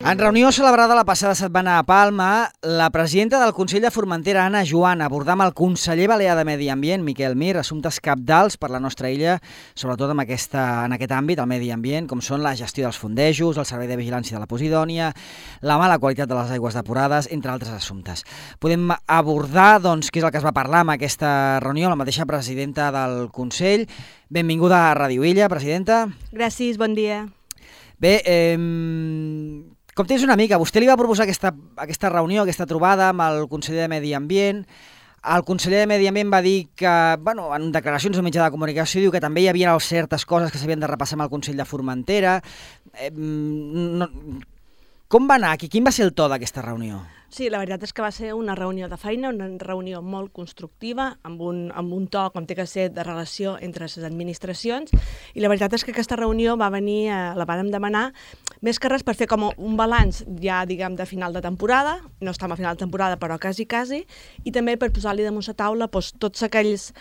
En reunió celebrada la passada setmana a Palma, la presidenta del Consell de Formentera, Anna Joan, abordà amb el conseller balear de Medi Ambient, Miquel Mir, assumptes cabdals per la nostra illa, sobretot en aquest àmbit, el medi ambient, com són la gestió dels fondejos, el servei de vigilància de la Posidònia, la mala qualitat de les aigües depurades, entre altres assumptes. Podem abordar, doncs, què és el que es va parlar en aquesta reunió, la mateixa presidenta del Consell. Benvinguda a Ràdio Illa, presidenta. Gràcies, bon dia. Bé, com tens una mica, vostè li va proposar aquesta reunió, aquesta trobada amb el conseller de Medi Ambient. El conseller de Medi Ambient va dir que, en declaracions al mitjà de comunicació, diu que també hi havia certes coses que s'havien de repassar amb el Consell de Formentera. Com va anar? Quin va ser el to d'aquesta reunió? Sí, la veritat és que va ser una reunió de feina, una reunió molt constructiva, amb un to, com té que ser, de relació entre les administracions, i la veritat és que aquesta reunió va venir, la vàrem demanar, més que res per fer com un balanç ja, diguem, de final de temporada, no estem a final de temporada, però quasi, i també per posar-li damunt la taula tots aquells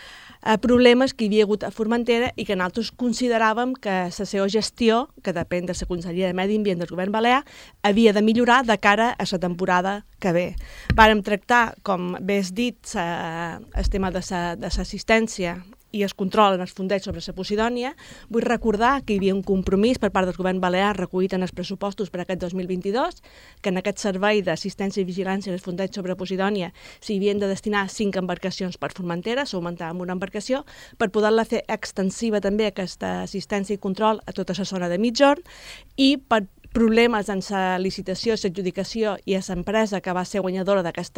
problemes que hi havia hagut a Formentera i que nosaltres consideràvem que la seva gestió, que depèn de la Conselleria de Medi Ambient del Govern Balear, havia de millorar de cara a la temporada que ve. Vàrem tractar, com bé has dit, el tema de l'assistència i el control en els fondeigs sobre la Posidònia. Vull recordar que hi havia un compromís per part del Govern Balear recollit en els pressupostos per aquest 2022, que en aquest servei d'assistència i vigilància dels fondeigs sobre Posidònia s'hi havien de destinar 5 embarcacions per Formentera, s'augmentava amb una embarcació, per poder-la fer extensiva també aquesta assistència i control a tota la zona de Migjorn, i per problemes en la licitació, l'adjudicació i a l'empresa que va ser guanyadora d'aquest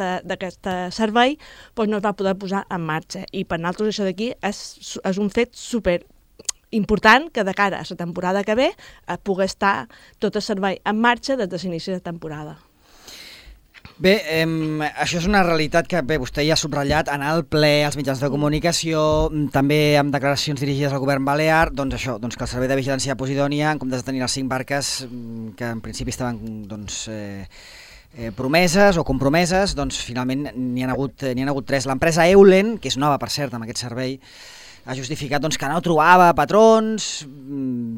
servei, no es va poder posar en marxa. I per nosaltres això d'aquí és un fet super important que de cara a la temporada que ve pugui estar tot el servei en marxa des de l'inici de temporada. Bé, això és una realitat que vostè ja ha subratllat en el ple, als mitjans de comunicació, també amb declaracions dirigides al govern balear, doncs això, que el servei de vigilància de Posidònia, en comptes de tenir les 5 barques que en principi estaven promeses o compromeses, doncs finalment n'hi ha hagut 3. L'empresa Eulen, que és nova per cert amb aquest servei, ha justificat que no trobava patrons.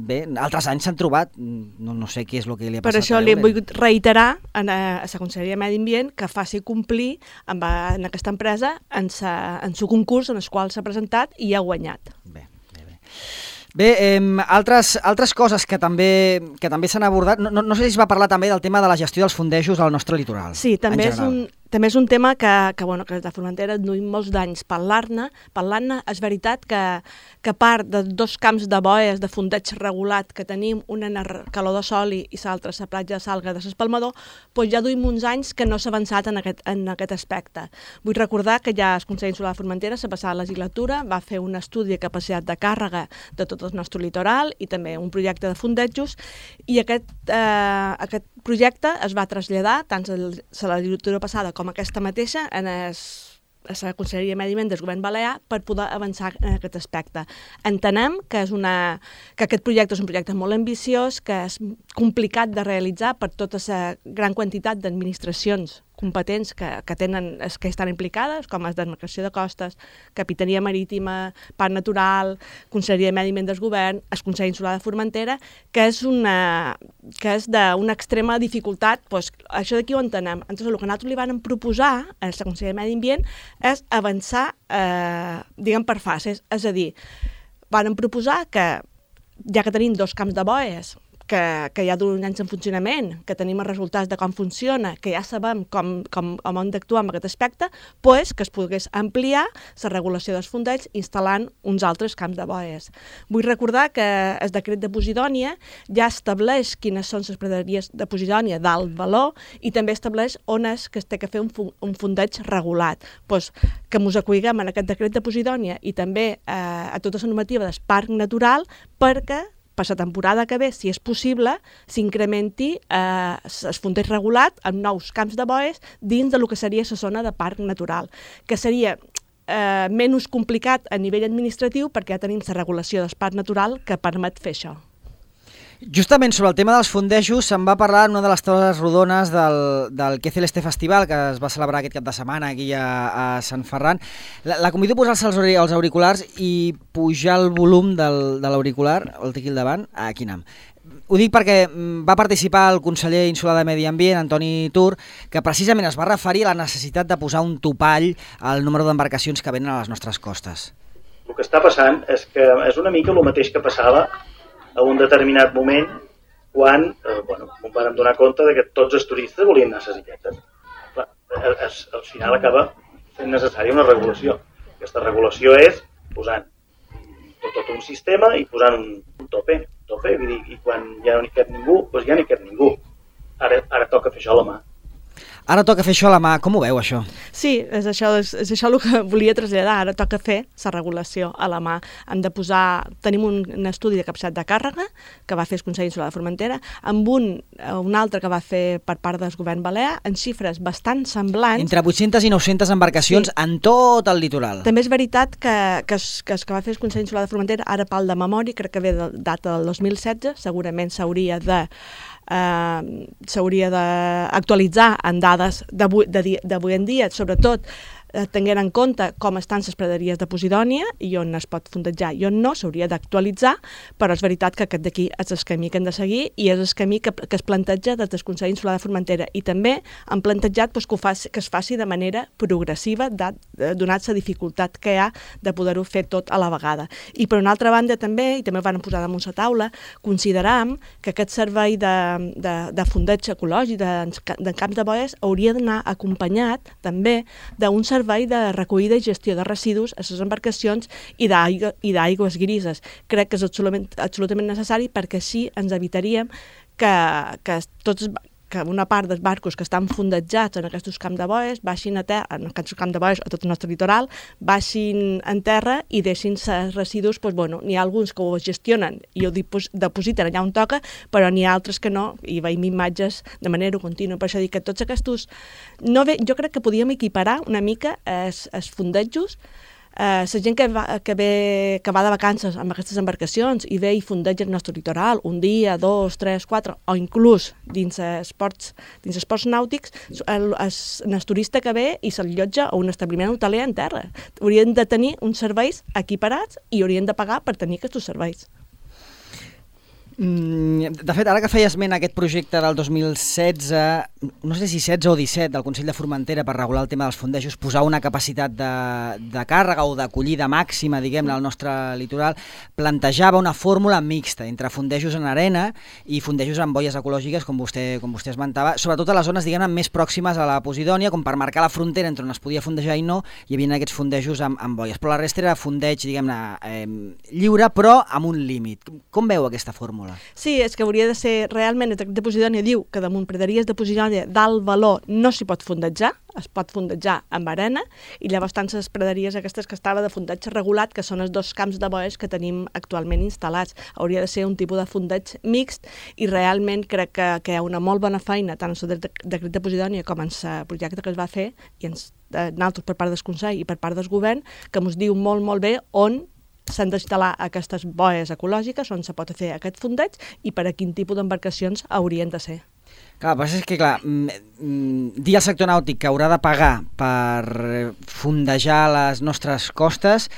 Bé, altres anys s'han trobat, no sé què és el que li ha passat. Per això li hem volgut reiterar a la Conselleria de Medi Ambient que faci complir en aquesta empresa en el concurs en el qual s'ha presentat i ha guanyat. Bé, altres coses que també s'han abordat, no sé si es va parlar també del tema de la gestió dels fondejos al nostre litoral. Sí, també és un tema que des de Formentera duim molts d'anys parlant-ne. És veritat que a part de 2 camps de boies de fondeig regulat que tenim, una en Calor de Soli i l'altra a la platja de Salga de l'Espalmador, ja duim uns anys que no s'ha avançat en aquest aspecte. Vull recordar que ja el Consell Insular de Formentera, la passada legislatura, va fer un estudi de capacitat de càrrega de tot el nostre litoral i també un projecte de fondejos, i aquest projecte es va traslladar tant a la legislatura passada com aquesta mateixa a la Conselleria de Medi Ambient del Govern Balear per poder avançar en aquest aspecte. Entenem que aquest projecte és un projecte molt ambiciós, que és complicat de realitzar per tota la gran quantitat d'administracions competents que estan implicades, com és Demarcació de Costes, Capitania Marítima, Parc Natural, Conselleria de Medi Ambient del Govern, el Consell Insular de Formentera, que és d'una extrema dificultat. Això d'aquí ho entenem. Entonces, el que nosaltres li vam proposar a la Conselleria de Medi Ambient és avançar, per fases. És a dir, vam proposar que, ja que tenim 2 camps de boies, que ja d'un anys en funcionament, que tenim els resultats de com funciona, que ja sabem com hem d'actuar en aquest aspecte, que es pogués ampliar la regulació dels fondeigs instal·lant uns altres camps de boies. Vull recordar que el decret de Posidònia ja estableix quines són les praderies de Posidònia d'alt valor i també estableix on és que es té que fer un fondeig regulat. Que ens acolliguem en aquest decret de Posidònia i també a tota la normativa del Parc Natural perquè per la temporada que ve, si és possible, s'incrementi el fondeig regulat amb nous camps de boies dins del que seria la zona de parc natural, que seria menys complicat a nivell administratiu perquè ja tenim la regulació del parc natural que permet fer això. Justament sobre el tema dels fondejos se'n va parlar en una de les taules rodones del Que Celeste Festival, que es va celebrar aquest cap de setmana aquí a Sant Ferran. La convido a posar-se els auriculars i pujar el volum de l'auricular, el té aquí al davant, aquí anem. Ho dic perquè va participar el conseller insular de Medi Ambient, Antoni Tur, que precisament es va referir a la necessitat de posar un topall al número d'embarcacions que venen a les nostres costes. El que està passant és que és una mica el mateix que passava a un determinat moment quan em vam donar compte que tots els turistes volien anar a les illetes. Clar, al final acaba sent necessària una regulació. Aquesta regulació és posant tot un sistema i posant un tope. Vull dir, i quan ja no hi cap ningú, doncs ja no hi cap ningú. Ara toca fer això a la mà. Ara toca fer això a la mà. Com ho veu, això? Sí, és això el que volia traslladar. Ara toca fer la regulació a la mà. Tenim un estudi de capacitat de càrrega que va fer el Consell Insular de Formentera, amb un altre que va fer per part del govern balear, en xifres bastant semblants. Entre 800 i 900 embarcacions en tot el litoral. També és veritat que va fer el Consell Insular de Formentera, ara pal de memòria, crec que ve de data del 2016, segurament s'hauria d'actualitzar en dades d'avui en dia, sobretot tenint en compte com estan les praderies de Posidònia i on es pot fondejar i on no, s'hauria d'actualitzar, però és veritat que aquest d'aquí és el camí que hem de seguir i és el camí que es planteja des del Consell Insular de Formentera, i també han plantejat que es faci de manera progressiva, donat la dificultat que hi ha de poder-ho fer tot a la vegada. I per una altra banda també, i també ho van posar damunt la taula, consideram que aquest servei de fondeig ecològic de camps de boies hauria d'anar acompanyat també d'un servei de recollida i gestió de residus a les embarcacions i d'aigües grises. Crec que és absolutament necessari, perquè així ens evitaríem que una part dels barcos que estan fondejats en aquests camps de boies baixin a terra, en aquests camps de boies a tot el nostre litoral, baixin en terra i deixin els residus. N'hi ha alguns que ho gestionen i ho depositen allà on toca, però n'hi ha altres que no, i veiem imatges de manera contínua. Per això dic que tots aquests... Jo crec que podíem equiparar una mica els fondejos. La gent que va de vacances amb aquestes embarcacions i ve i fondeja el nostre litoral un dia, 2, 3, 4, o inclús dins esports nàutics, el turista que ve i s'allotja a un establiment hoteler en terra. Haurien de tenir uns serveis equiparats i haurien de pagar per tenir aquests serveis. De fet, ara que feia esment aquest projecte del 2016, no sé si 16 o 17, del Consell de Formentera per regular el tema dels fondejos, posar una capacitat de càrrega o d'acollida màxima, diguem-ne, al nostre litoral, plantejava una fórmula mixta entre fondejos en arena i fondejos en boies ecològiques, com vostè esmentava, sobretot a les zones, diguem-ne, més pròximes a la Posidònia, com per marcar la frontera entre on es podia fondejar i no, hi havia aquests fondejos amb boies. Però la resta era fondeig, diguem-ne, lliure, però amb un límit. Com veu aquesta fórmula? Sí, és que hauria de ser realment, el decret de Posidònia diu que damunt praderies de Posidònia d'alt valor no s'hi pot fondejar, es pot fondejar amb arena, i llavors tant les praderies aquestes que estava de fondeig regulat, que són els 2 camps de boies que tenim actualment instal·lats. Hauria de ser un tipus de fondeig mixt, i realment crec que hi ha una molt bona feina tant en el decret de Posidònia com en el projecte que es va fer, i nosaltres per part del Consell i per part del govern, que ens diu molt, molt bé on s'han d'instal·lar aquestes boies ecològiques, on se pot fer aquest fondeig i per a quin tipus d'embarcacions haurien de ser. Clar, però és que, dir al sector nàutic que haurà de pagar per fondejar les nostres costes,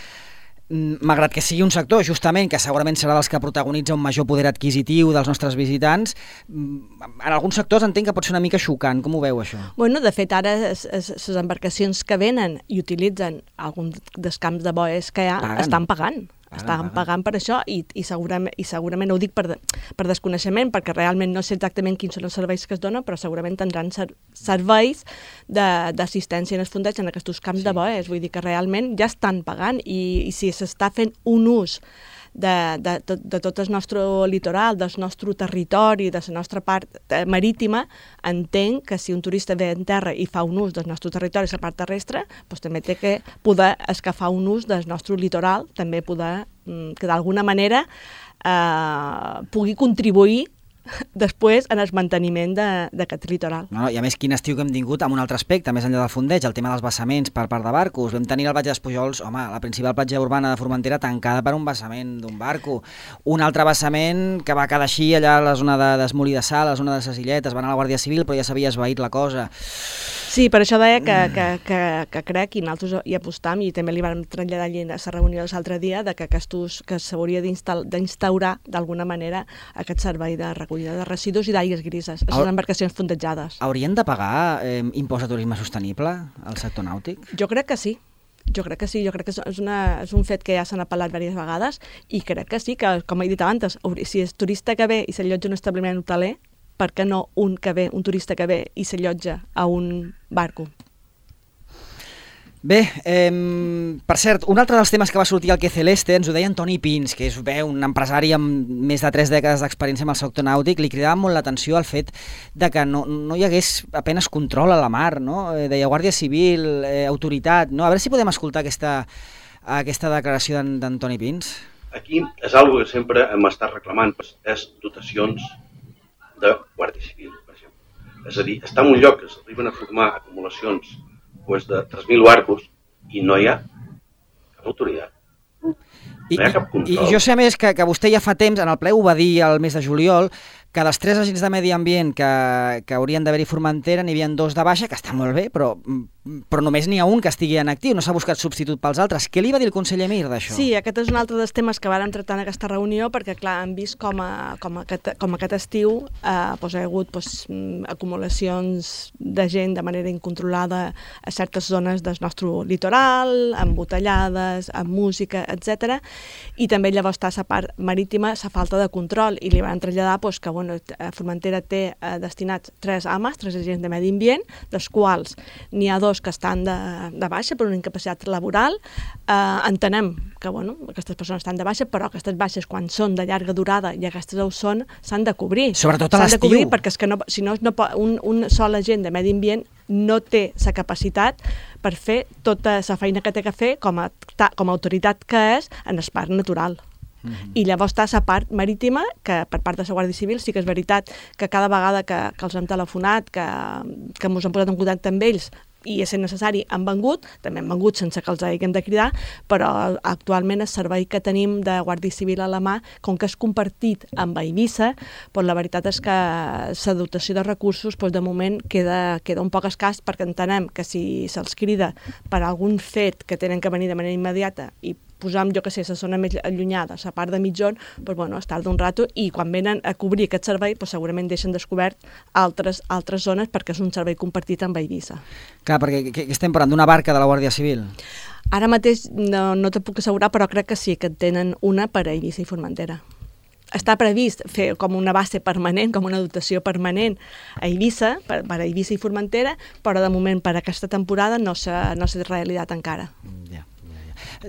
malgrat que sigui un sector, justament, que segurament serà dels que protagonitza un major poder adquisitiu dels nostres visitants, en alguns sectors entenc que pot ser una mica xocant. Com ho veu, això? De fet, ara les embarcacions que venen i utilitzen alguns dels camps de boies que hi ha estan pagant. Estan pagant per això, i segurament ho dic per desconeixement, perquè realment no sé exactament quins són els serveis que es donen, però segurament tindran serveis d'assistència en els fondeig en aquests camps de boies. Vull dir que realment ja estan pagant, i si s'està fent un ús de tot el nostre litoral, del nostre territori, de la nostra part marítima, entenc que si un turista ve en terra i fa un ús del nostre territori, la part terrestre, doncs també té que poder escafar un ús del nostre litoral, també poder que d'alguna manera pugui contribuir després en el manteniment d'aquest litoral. No, i a més, quin estiu que hem tingut amb un altre aspecte, més enllà del fondeig, el tema dels vessaments per part de barcos. Vam tenir el Baix dels Pujols, home, la principal platja urbana de Formentera tancada per un vessament d'un barco. Un altre vessament que va quedar així allà a la zona d'Esmolí de Sal, a la zona de les Illetes, va anar a la Guàrdia Civil, però ja s'havia esvaït la cosa. Sí, per això deia que crec, i nosaltres hi apostam, i també li vam traslladar a la reunió l'altre dia, que s'hauria d'instaurar d'alguna manera aquest servei de recollida de residus i d'aigües grises, les embarcacions fondejades. Haurien de pagar impost de turisme sostenible al sector nàutic? Jo crec que sí. Jo crec que és un fet que ja s'han apel·lat diverses vegades i crec que sí, que com he dit abans, si és turista que ve i s'allotja en un establiment hoteler, per què no un turista que ve i s'allotja a un barco? Bé, per cert, un altre dels temes que va sortir al Que Celeste ens ho deia Antoni Pins, que és un empresari amb més de 3 dècades d'experiència amb el sector nàutic. Li cridava molt l'atenció el fet de que no hi hagués apenas control a la mar, no? Deia Guàrdia Civil, autoritat, no? A veure si podem escoltar aquesta declaració d'Antoni Pins. Aquí és una que sempre hem estat reclamant, és dotacions de Guàrdia Civil, per exemple. És a dir, està en un lloc que s'arriben a formar acumulacions de 3.000 barcos i no hi ha cap autoritat. No hi ha cap control. I jo sé a més que vostè ja fa temps, en el ple ho va dir el mes de juliol, que dels 3 agents de medi ambient que haurien d'haver-hi Formentera n'hi havia 2 de baixa, que està molt bé, però només n'hi ha un que estigui en actiu, no s'ha buscat substitut pels altres. Què li va dir el conseller Mir d'això? Sí, aquest és un altre dels temes que vàrem tractar en aquesta reunió, perquè clar, hem vist com aquest estiu hi ha hagut acumulacions de gent de manera incontrolada a certes zones del nostre litoral, embotellades, amb música, etc. I també llavors està la part marítima, la falta de control, i li van traslladar que Formentera té destinats 3 AMAs, 3 agents de medi ambient, dels quals n'hi ha 2 que estan de baixa per una incapacitat laboral. Entenem que aquestes persones estan de baixa, però aquestes baixes, quan són de llarga durada i aquestes ho són, s'han de cobrir. Sobretot a l'estiu. S'han de cobrir perquè si no, un sol agent de medi ambient no té la capacitat per fer tota la feina que té que fer com a autoritat que és en el parc natural. I llavors està la part marítima, que per part de la Guàrdia Civil sí que és veritat que cada vegada que els hem telefonat, que ens hem posat en contacte amb ells, i és necessari, han vengut, també han vengut sense que els haguem de cridar, però actualment el servei que tenim de Guàrdia Civil a la mà, com que és compartit amb Eivissa, la veritat és que la dotació de recursos de moment queda un poc escàs, perquè entenem que si se'ls crida per algun fet que tenen que venir de manera immediata i posam, jo que sé, la zona més allunyada, la part de mitjon, es tarda un rato, i quan venen a cobrir aquest servei segurament deixen descobert altres zones, perquè és un servei compartit amb Eivissa. Clar, perquè estem parlant d'una barca de la Guàrdia Civil? Ara mateix no te puc assegurar, però crec que sí, que tenen una per a Eivissa i Formentera. Està previst fer com una base permanent, com una dotació permanent a Eivissa, per a Eivissa i Formentera, però de moment per aquesta temporada no s'ha realitzat encara.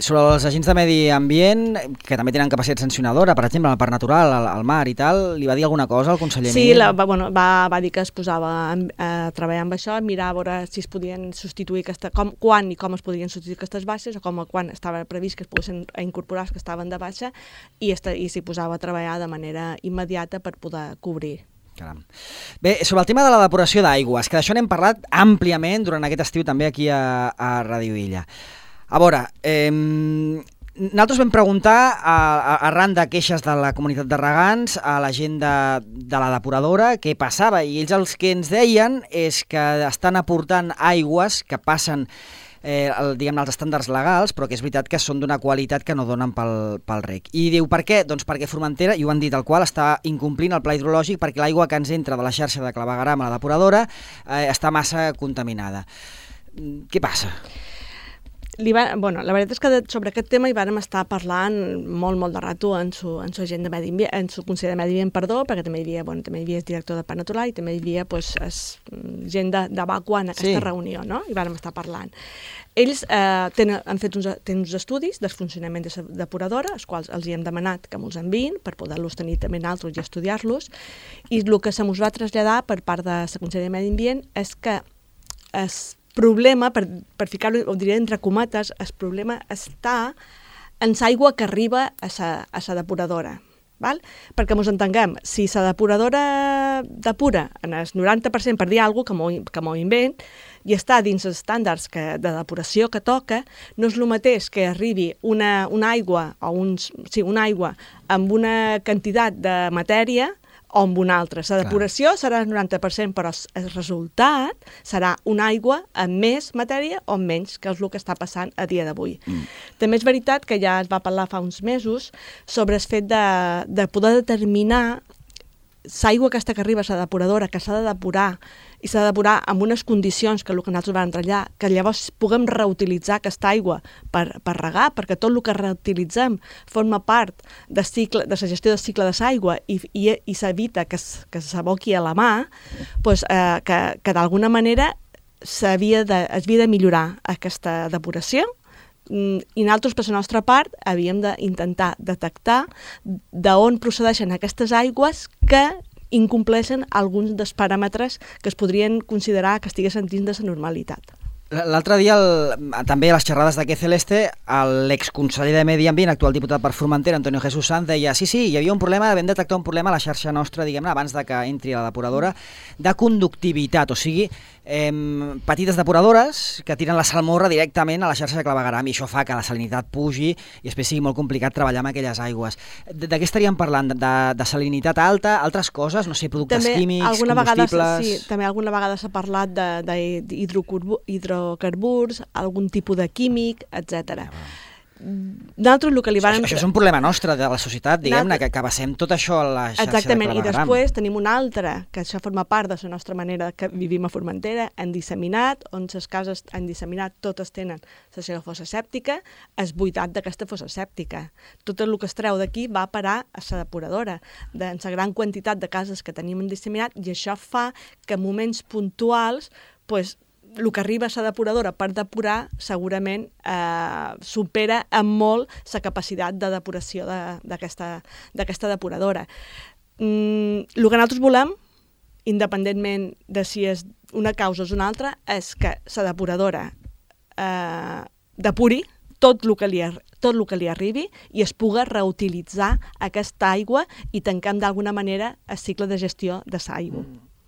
Sobre els agents de medi ambient, que també tenen capacitat sancionadora, per exemple, al parc natural, al mar i tal, li va dir alguna cosa al conseller Mir? Sí, va dir que es posava a treballar amb això, mirar a veure si es podien substituir, quan i com es podien substituir aquestes baixes, o quan estava previst que es poguessin incorporar els que estaven de baixa, i s'hi posava a treballar de manera immediata per poder cobrir. Caram. Bé, sobre el tema de la depuració d'aigües, que d'això n'hem parlat àmpliament durant aquest estiu també aquí a Ràdio Illa. A veure, nosaltres vam preguntar arran de queixes de la comunitat de regants a la gent de la depuradora què passava, i ells el que ens deien és que estan aportant aigües que passen els estàndards legals, però que és veritat que són d'una qualitat que no donen pel rec. I diu, per què? Doncs perquè Formentera, i ho han dit al qual, està incomplint el pla hidrològic perquè l'aigua que ens entra de la xarxa de clavegueram a la depuradora està massa contaminada. Què passa? La veritat és que sobre aquest tema hi vàrem estar parlant molt de rato en su agent de medi ambient, en su conseller de medi ambient, perquè també hi havia el director de Parc Natural i també hi havia gent de Vacua en aquesta reunió, no? I vàrem estar parlant. Ells han fet uns estudis del funcionament de la depuradora, els quals els hi hem demanat que me'ls enviïn per poder-los tenir també nosaltres i estudiar-los, i el que se mos va traslladar per part de la conseller de medi ambient és que problema, per ficar-ho, ho diré entre cometes, el problema està en l'aigua que arriba a la depuradora. val? Perquè ens entenguem, si la depuradora depura en el 90%, per dir alguna cosa que m'ho invent, i està dins els estàndards de depuració que toca, no és el mateix que arribi una aigua una aigua amb una quantitat de matèria o amb una altra. La depuració serà el 90%, però el resultat serà una aigua amb més matèria o amb menys, que és el que està passant a dia d'avui. També és veritat que ja es va parlar fa uns mesos sobre el fet de poder determinar l'aigua aquesta que arriba a la depuradora, que s'ha de depurar, i s'ha de depurar amb unes condicions que el que nosaltres vam treballar, que llavors puguem reutilitzar aquesta aigua per regar, perquè tot el que reutilitzem forma part de la gestió del cicle de l'aigua i s'evita que s'aboqui a la mà, doncs, que d'alguna manera es havia de millorar aquesta depuració, i nosaltres, per la nostra part, havíem d'intentar detectar d'on procedeixen aquestes aigües que incompleixen alguns dels paràmetres que es podrien considerar que estiguessin dins de la normalitat. L'altre dia, també a les xerrades d'aquest Celeste, l'exconseller de Medi Ambient, actual diputat per Formentera, Antonio Jesús Sanz, deia sí, hi havia un problema, vam detectar un problema a la xarxa nostra, diguem-ne, abans de que entri a la depuradora, de conductivitat, o sigui, petites depuradores que tiren la salmorra directament a la xarxa de clavegueram, i això fa que la salinitat pugi i després sigui molt complicat treballar amb aquelles aigües. De què estaríem parlant? De salinitat alta, altres coses? No sé, productes químics, combustibles... També alguna vegada s'ha parlat d'hidrocarburs, algun tipus de químic, etc. Nosaltres el que li vàrem... Això és un problema nostre de la societat, diguem-ne, que basem tot això a la xarxa de clavegueram. Exactament, i després tenim una altra, que això forma part de la nostra manera que vivim a Formentera, en disseminat, on les cases en disseminat totes tenen la seva fossa sèptica, és buidat d'aquesta fossa sèptica. Tot el que es treu d'aquí va a parar a la depuradora, en la gran quantitat de cases que tenim en disseminat, i això fa que en moments puntuals, doncs, el que arriba a la depuradora per depurar segurament supera en molt la capacitat de depuració d'aquesta depuradora. El que nosaltres volem, independentment de si és una causa o una altra, és que la depuradora depuri tot el que li arribi i es puga reutilitzar aquesta aigua i tanquem d'alguna manera el cicle de gestió de l'aigua.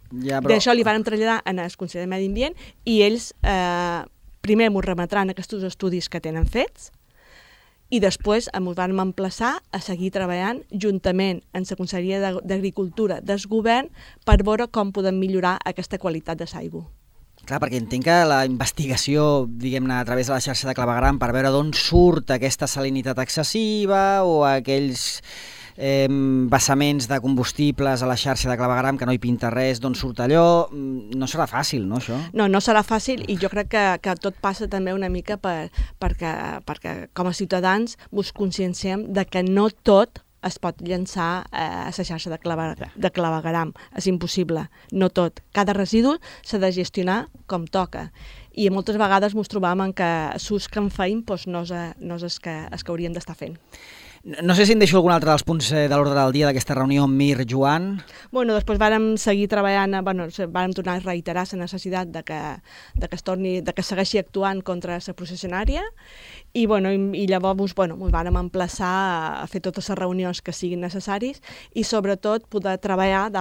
Ja, però... D'això li vàrem traslladar en el Consell de Medi Ambient i ells primer m'ho remetran aquests estudis que tenen fets i després ens vam emplaçar a seguir treballant juntament amb la Conselleria d'Agricultura del Govern per veure com podem millorar aquesta qualitat de l'aigua. Clar, perquè entenc que la investigació, diguem-ne, a través de la xarxa de clavegueram per veure d'on surt aquesta salinitat excessiva o aquells vessaments de combustibles a la xarxa de clavegueram que no hi pinta res, d'on surt allò, no serà fàcil, no, això? No serà fàcil i jo crec que tot passa també una mica perquè com a ciutadans ens conscienciem de que no tot es pot llançar a la xarxa de clavegueram. És impossible, no tot. Cada residu s'ha de gestionar com toca. I moltes vegades ens trobam que l'ús que en feim no és el que hauríem d'estar fent. No sé si em deixo algun altre dels punts de l'ordre del dia d'aquesta reunió amb Mir, Joan. Després vàrem seguir treballant, vàrem tornar a reiterar la necessitat de que segueixi actuant contra la processionària i llavors ens vàrem emplaçar a fer totes les reunions que siguin necessaris i sobretot poder treballar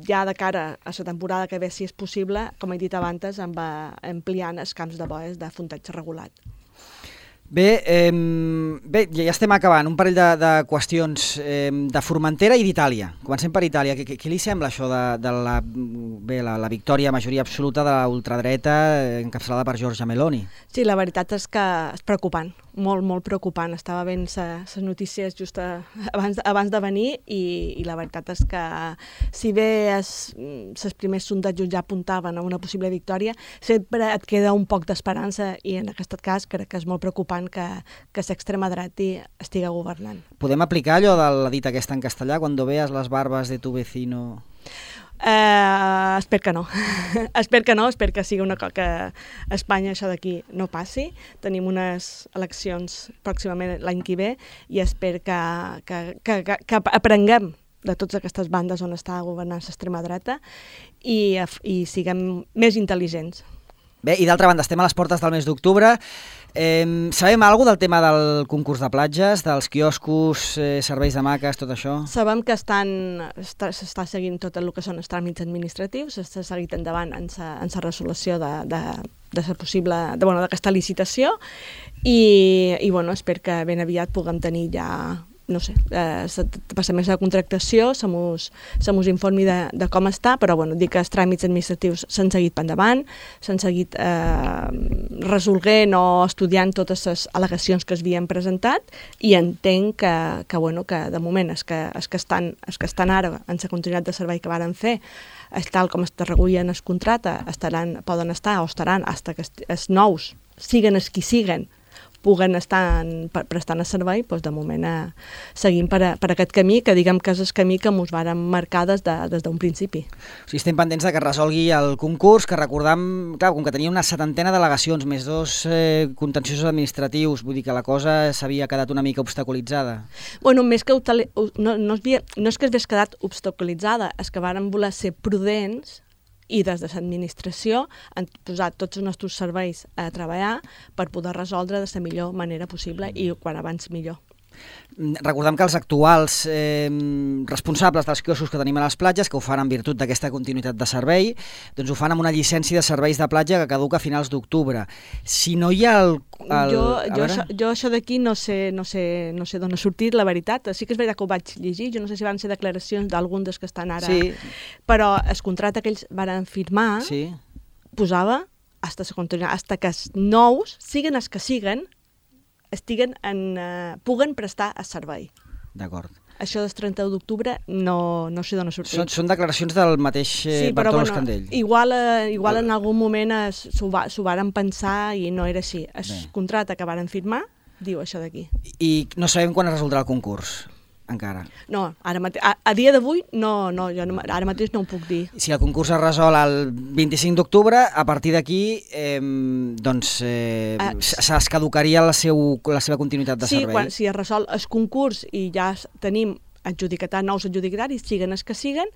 ja de cara a la temporada que ve, si és possible, com he dit abans, ampliant els camps de boes de fontatge regulat. Bé, ja estem acabant. Un parell de qüestions de Formentera i d'Itàlia. Comencem per Itàlia. Què li sembla això de la victòria, majoria absoluta de la ultradreta encapçalada per Giorgia Meloni? Sí, la veritat és que és preocupant, molt, molt preocupant. Estava veient les notícies just abans de venir i la veritat és que si bé els primers sondejos ja apuntaven a una possible victòria, sempre et queda un poc d'esperança i en aquest cas crec que és molt preocupant que l'extrema dreta estigui governant. Podem aplicar allò de la dita aquesta en castellà, cuando veas las barbas de tu vecino... Espero que no. Espero que sigui una cosa que a Espanya això d'aquí no passi. Tenim unes eleccions pròximament l'any que ve i espero que aprenguem de totes aquestes bandes on està governant l'extrema dreta i siguem més intel·ligents. Bé, i d'altra banda, estem a les portes del mes d'octubre. Sabem alguna del tema del concurs de platges, dels quioscos, serveis de maques, tot això? Sabem que s'està seguint tot el que són els tràmits administratius, s'ha seguit endavant en la resolució d'aquesta licitació i bueno, espero que ben aviat puguem tenir ja, no sé, passar més a la contractació, se mos informi de com està, però bueno, dir que els tràmits administratius s'han seguit per endavant, s'han seguit resolguent o estudiant totes les al·legacions que s'havien presentat i entenc que de moment els que estan ara en la continuïtat de servei que varen fer, tal com es regulen el contracte, poden estar o estaran fins que els nous, siguen els qui siguen, puguen estar prestant el servei, doncs de moment seguim per aquest camí, que diguem que és el camí que ens vàrem marcar des d'un principi. O sigui, estem pendents de que es resolgui el concurs, que recordam, clar, com que tenia una 70 delegacions, més 2 contenciosos administratius, vull dir que la cosa s'havia quedat una mica obstaculitzada. Bueno, més que no és que s'hagués quedat obstaculitzada, és que vàrem voler ser prudents i des de l'administració han posat tots els nostres serveis a treballar per poder resoldre de la millor manera possible i quan abans millor. Recordem que els actuals responsables dels quioscos que tenim a les platges, que ho fan en virtut d'aquesta continuïtat de servei, doncs ho fan amb una llicència de serveis de platja que caduca a finals d'octubre. Si no hi ha Jo això d'aquí no sé d'on ha sortit, la veritat. Sí que és veritat que ho vaig llegir, jo no sé si van ser declaracions d'algun dels que estan ara, sí. Però el contracte que ells van firmar posava fins que els nous, siguin els que siguen, puguen prestar el servei. D'acord. Això del 31 d'octubre no sé d'on ha sortit. Són declaracions del mateix Bartolo Escandell. Igual en algun moment s'ho varen pensar i no era així. El contracte que varen firmar diu això d'aquí. I no sabem quan es resoldrà el concurs, encara. No, a dia d'avui jo ara mateix no ho puc dir. Si el concurs es resol el 25 d'octubre, a partir d'aquí es caducaria la seva continuïtat de servei. Si es resol el concurs i ja tenim nous adjudicataris, siguen els que siguen,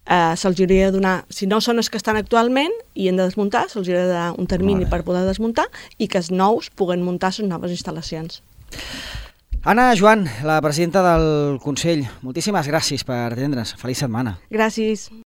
se'ls hauria de donar, si no són els que estan actualment i han de desmuntar, se'ls hauria de donar un termini per poder desmuntar i que els nous puguen muntar les noves instal·lacions. Anna Joan, la presidenta del Consell, moltíssimes gràcies per atendre'ns. Feliç setmana. Gràcies.